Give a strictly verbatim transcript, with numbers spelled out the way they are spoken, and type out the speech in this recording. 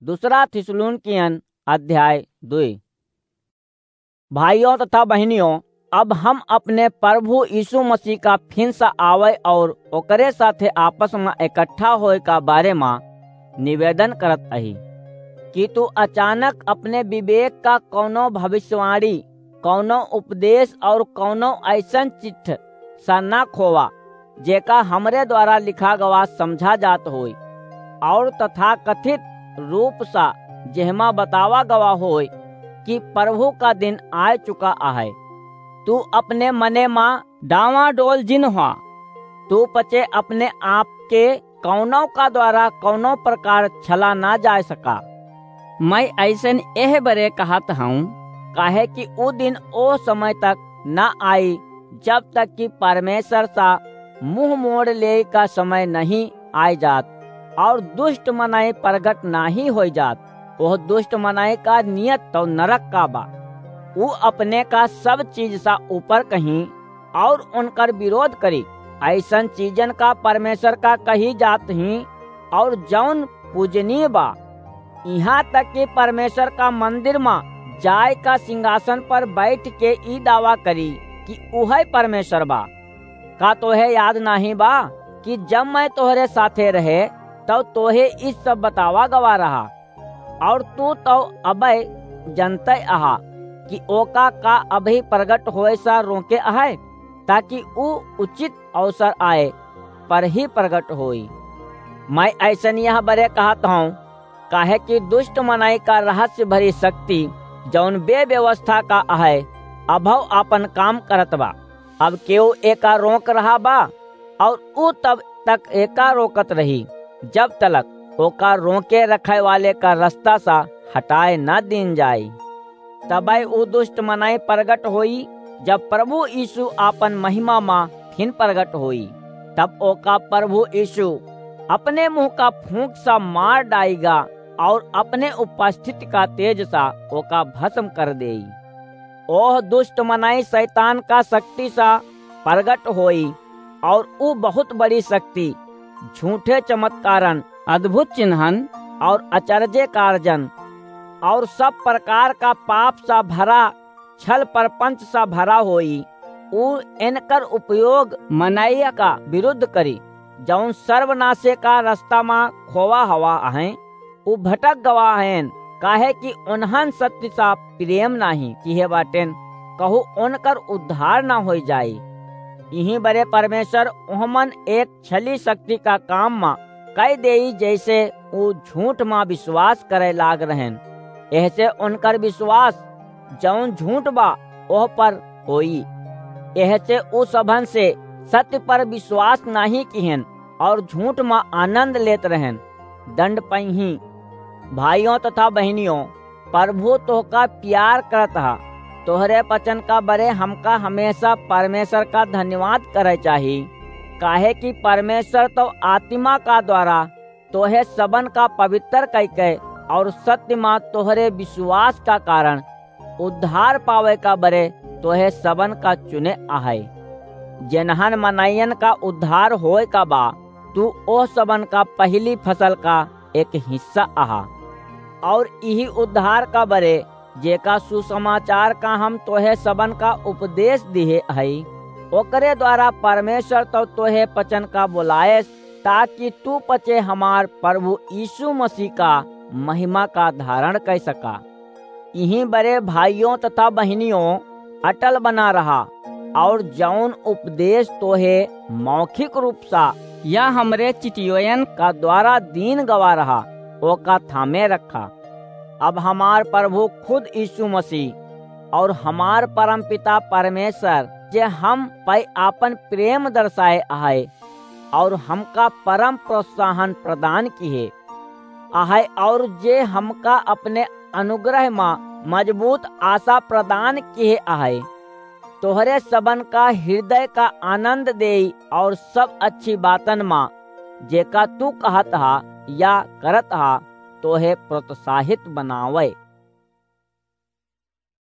दूसरा थिस्सलुनीकियन अध्याय दुई। भाइयों तथा बहिनियों, अब हम अपने प्रभु यीशु मसीह का फिन से आवै और ओकरे साथे आपस में इकट्ठा होए का बारे में निवेदन करत अही कि तू अचानक अपने विवेक का कौनो भविष्यवाणी, कौनो उपदेश और कौनो ऐसन चिट्ठ सा ना खोवा, जेका हमरे द्वारा लिखा गवा समझा जात होई, और तथाकथित रूप सा जेहमा बतावा गवा होई कि प्रभु का दिन आय चुका आहे। तू अपने मने मा डावाडोल जिन हुआ, तू पचे अपने आप के कौनो का द्वारा कौनो प्रकार छला ना जाय सका। मैं ऐसन एह बरे कहत हूँ, काहे कि ऊ दिन ओ समय तक ना आई, जब तक कि परमेश्वर सा मुंह मोड़ ले का समय नहीं आय जात, और दुष्ट मनई प्रगट नाही होई जात। ओह दुष्ट मनई का नियत तो नरक का बा। ऊ अपने का सब चीज सा ऊपर कहीं और उनकर विरोध करी। ऐसन चीजन का परमेश्वर का कही जात ही, और जौन पूजनीय बा। यहाँ तक कि परमेश्वर का मंदिर मा जाय का सिंहासन पर बैठ के ई दावा करी कि उहै परमेश्वर बा। का तोहे याद नाही बा कि जब मैं तोहरे साथे रहे, तब तोहे ई सब बतावा गवा रहा, और तू तो अबै जनते अहा कि ओका का अबही प्रगट होए सा रोके अहै, ताकि ऊ उचित अवसर आए पर ही प्रगट होई। मैं ऐसन यह बरे कहत हूँ, काहे कि दुष्ट मनई का रहस्य भरी शक्ति, जौन बेव्यवस्था का अहै, अभव आपन काम करत बा। अब केहू एका रोक रहा बा, और ऊ तब तक एका रोकत रही, जब तलक ओका रोके रखे वाले का रास्ता सा हटाए न दीन जाए। तबै ऊ दुष्ट मनई प्रगट होई, जब प्रभु यीशु आपन महिमा मा फिन प्रगट होई, तब ओका प्रभु यीशु अपने मुंह का फूंक सा मार डाइगा और अपने उपस्थिति का तेज सा ओका भस्म कर देई। ओह दुष्ट मनई शैतान का शक्ति सा प्रगट होई, और ऊ बहुत बड़ी शक्ति, झूठे चमत्कारन, अद्भुत चिन्हन और अचरजे कारजन और सब प्रकार का पाप सा भरा, छल प्रपंच सा भरा होई। ऊ इनकर उपयोग मनई का विरुद्ध करी, जौन सर्वनाशे का रास्ता मा खोवा हवा अहैं। ऊ भटक गवा हएन, काहे कि उन्हन सत्य सा प्रेम नाही किहे बाटेन, कहू उनकर उद्धार ना होई जाई। इही बरे परमेश्वर उहमन एक छली शक्ति का काम मा कई देई, जैसे ऊ झूठ मा विश्वास करे लाग रहेन। एहसे उनकर विश्वास जौन झूठ बा, ओह पर होई। एहसे ऊ सभन से सत्य पर विश्वास नाही किहेन और झूठ मा आनंद लेत रहेन, दंड पइहीं। भाइयों तथा बहिनियों, प्रभु तोहका प्यार करत हा। तोहरे वचन का बरे हमका हमेशा परमेश्वर का धन्यवाद करे चाही, काहे कि परमेश्वर तो आत्मा का द्वारा तोहे सबन का पवित्र कइके और सत्य मा तोहरे विश्वास का कारण उद्धार पावे का बरे तोहे सबन का चुने आहे। जेनहन मनइयन का उद्धार होए का बा, तू ओह सबन का पहली फसल का एक हिस्सा अहा। और इही उद्धार का बरे, जेका सुसमाचार का हम तोहे सबन का उपदेश दिहे हई, ओकरे द्वारा परमेश्वर तो तोहे पचन का बुलाएस, ताकि तू पचे हमार प्रभु यीशु मसीह का महिमा का धारण कर सका। इही बरे भाइयों तथा बहिनियों, अटल बना रहा, और जौन उपदेश तोहे मौखिक रूप सा या हमरे चिटियोयन का द्वारा दीन गवा रहा, ओका थामे रखा। अब हमार प्रभु खुद यीशु मसीह और हमार परमपिता परमेश्वर, जे हम पै आपन प्रेम दर्शाए आहे और हमका परम प्रोत्साहन प्रदान किहे आहे, और जे हमका अपने अनुग्रह मा मजबूत आशा प्रदान किहे आहे, तोहरे सबन का हृदय का आनंद देई और सब अच्छी बातन मा, जेका तू कहत हा या करत हा, तोहे प्रोत्साहित बनावे।